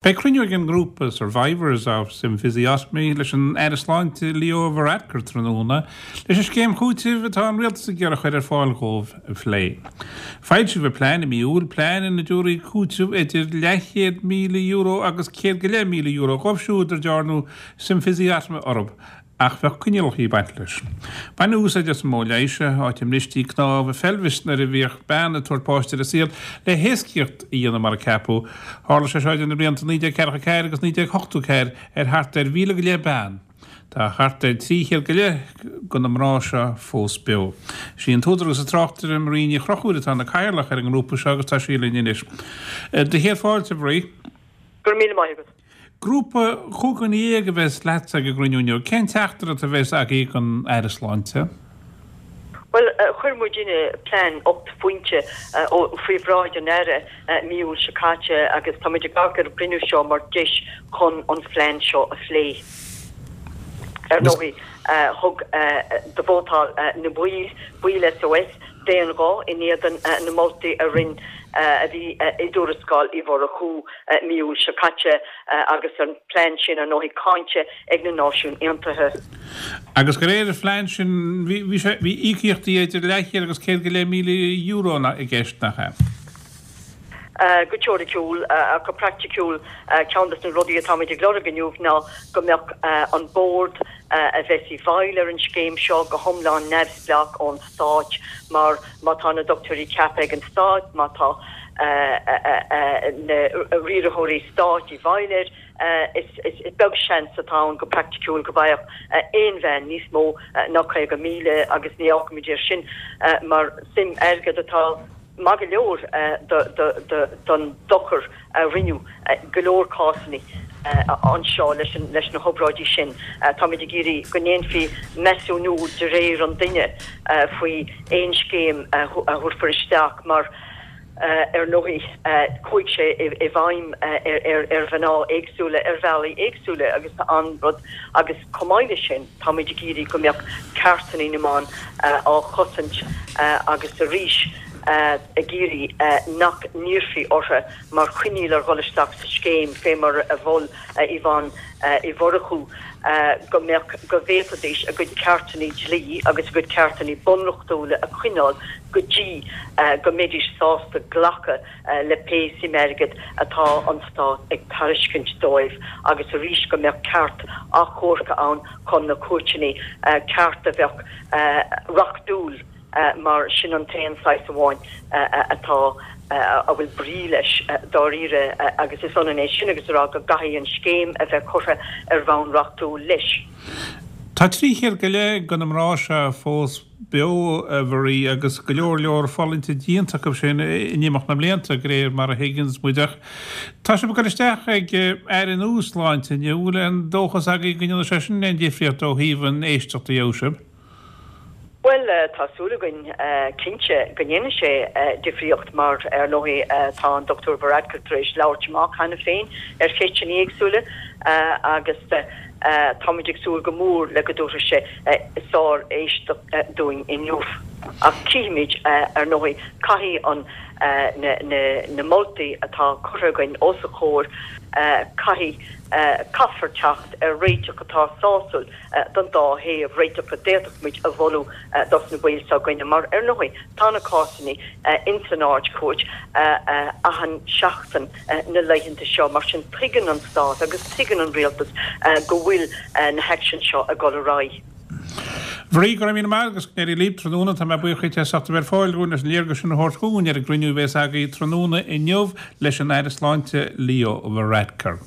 Beidh cruinniú ag an ngrúpa Survivors of Symphysiotomy leis an Aire Sláinte Leo Varadkar tráthnóna leis an scéim chúitimh atá an Rialtas ag iarraidh a chur ar fáil dhóibh a phlé. Foilsíodh an plean i mí Iúil, plean ina dtabharfaí cúiteamh idir leathchéad €1,000 agus €100,000 dhóibh siúd ar dearnadh symphysiotomy orthu Ach bheadh coinníollacha ag baint leis. Baineadh úsáid as an modh leighis seo, áit a mbristí cnámh a pheilbhis nuair a bhíodh bean ag tabhairt páiste ar an saol, le héascaíocht a dhéanamh mar a ceapadh. Tharla sé seo idir na blianta 1944 agus 1984 ar thart ar 1,500 bean. Tá thart ar 300 go leith de na mná seo fós beo. Is í an t-údar agus an tráchtaire Marie Ní Chonchúir atá ina cathaoirleach ar an ngrúpa seo agus tá sí linn anois. Do chéad fáilte, a Mharie. Go raibh míle maith agat. Grúpa 15 dhuine a bheas leatsa ag an gcruinniú inniu. Cén teachtaireacht a bheas agaibh don Aire Sláinte? Bhuel, chuir muidinne plean 8 phointe faoi bhráid an Aire mí Iúil seo caite agus tá muid ag amharc ar an gcruinniú seo mar deis chun an phlean seo a phlé. Ar ndóigh, thug do vótáil na baill, baill SOS, d'aon ghuth in éadan na moltaí a rinn a bhí i dtuarascáil Uí Mhurchú mí Iúil seo caite agus an plean sin, ar ndóigh, cáinte ag na Náisiúin Aontaithe. Agus de réir an phlean sin, bhí sé, bhí íocaíochtaí idir leathchéad agus €100,000 i gceist, nach ea? Go teoiriciúil, ach go praiticiúil, ceann de na rudaí atáimid ag lorg inniu ná go mbeadh an bord a bheas i bhfeighil ar an scéim seo go hiomlán neamhspleách ón Stát mar má tá na dochtúirí ceaptha ag an Stát, má tá na riarthóirí stáit i bhfeighil air, is beag seans atá ann go praiticiúil go bhfaigheadh aon bhean níos mó ná 50,000 agus ní amharcaimid air sin mar suim airgid atá maith go leor don dochar a rinneadh i go leor cásanna anseo leis na hobráidí sin. Táimid ag iarraidh go ndéanfaí measúnú de réir an duine faoi aon scéim a thabharfar isteach mar, ar ndóigh, chuaigh sé i bhfeidhm ar mhná éagsúla ar bhealaí éagsúla agus tá an rud agus chomh maith leis sin táimid ag iarraidh go mbeadh ceartanna na mban á chosaint agus arís ag iarraidh nach n-iarrfaí orthu mar choinníoll ar dhul isteach sa scéim, fé mar a mhol Yvonne Uí Mhurchú, go mbeadh, go bhféadfaidís a gcuid ceartanna dlí agus a gcuid ceartanna bunreachtúla a choinneáil go dtí go mbeidís sásta glacadh le pé suim airgid atá an Stát ag tairiscint dóibh agus arís go mbeadh ceart achomhairc ann chun na cúirteanna, ceart a bheadh reachtúil. mar sin an t-aon saghas amháin atá, a bhfuil brí leis dáiríre agus is ionann é sin agus a rá go gcaithfidh an scéim a bheith curtha ar bhonn reachtúil leis. Tá 300 go leith de na mná seo fós beo, a Mharie, agus go leor leor fulaingte déanta acu sin in imeacht na mblianta, de réir mar a thuigeanns muid. Ach tá sibh ag dul isteach ag Aire nua Sláinte inniu, an bhfuil aon dóchas agaibh go ndéanfaidh sé sin aon difríocht ó thaobh an éisteacht a gheobhaidh sibh? Bhuel, tá súil againn, cinnte, go ndéanfaidh sé difríocht mar, ar ndóigh, tá an Dr Varadkar tar éis labhairt amach cheana féin ar cheisteanna éagsúla agus táimid ag súil go mór le go dtabharfaidh sé sár-éisteacht dúinn inniu. Ach cífimid, ar ndóigh, caithfidh an, na moltaí atá curtha againn os a chomhair, caithfidh, caithfear teacht ar réiteach atá sásúil. don dá thaobh, réiteach a d'fhéadfadh muid a mholadh dos na baill s'againne, mar ar ndóigh tá na cásanna ins an Ard-Chúirt achan seachtain na laethanta seo, mar sin tuigeann an Stát agus tuigeann an Rialtas go bhfuil na haicsin seo ag dul ar aghaidh. Mharie, go raibh míle maith agus go n-éirí libh tráthnóna. Tá mé buíoch dhuit as ucht a bheith ar fáil dhúinn leis an léargas sin a thabhairt dhúinn ar an gcruinniú a bhéas agaibh tráthnóna inniu leis an Aire Sláinte Leo Varadkar.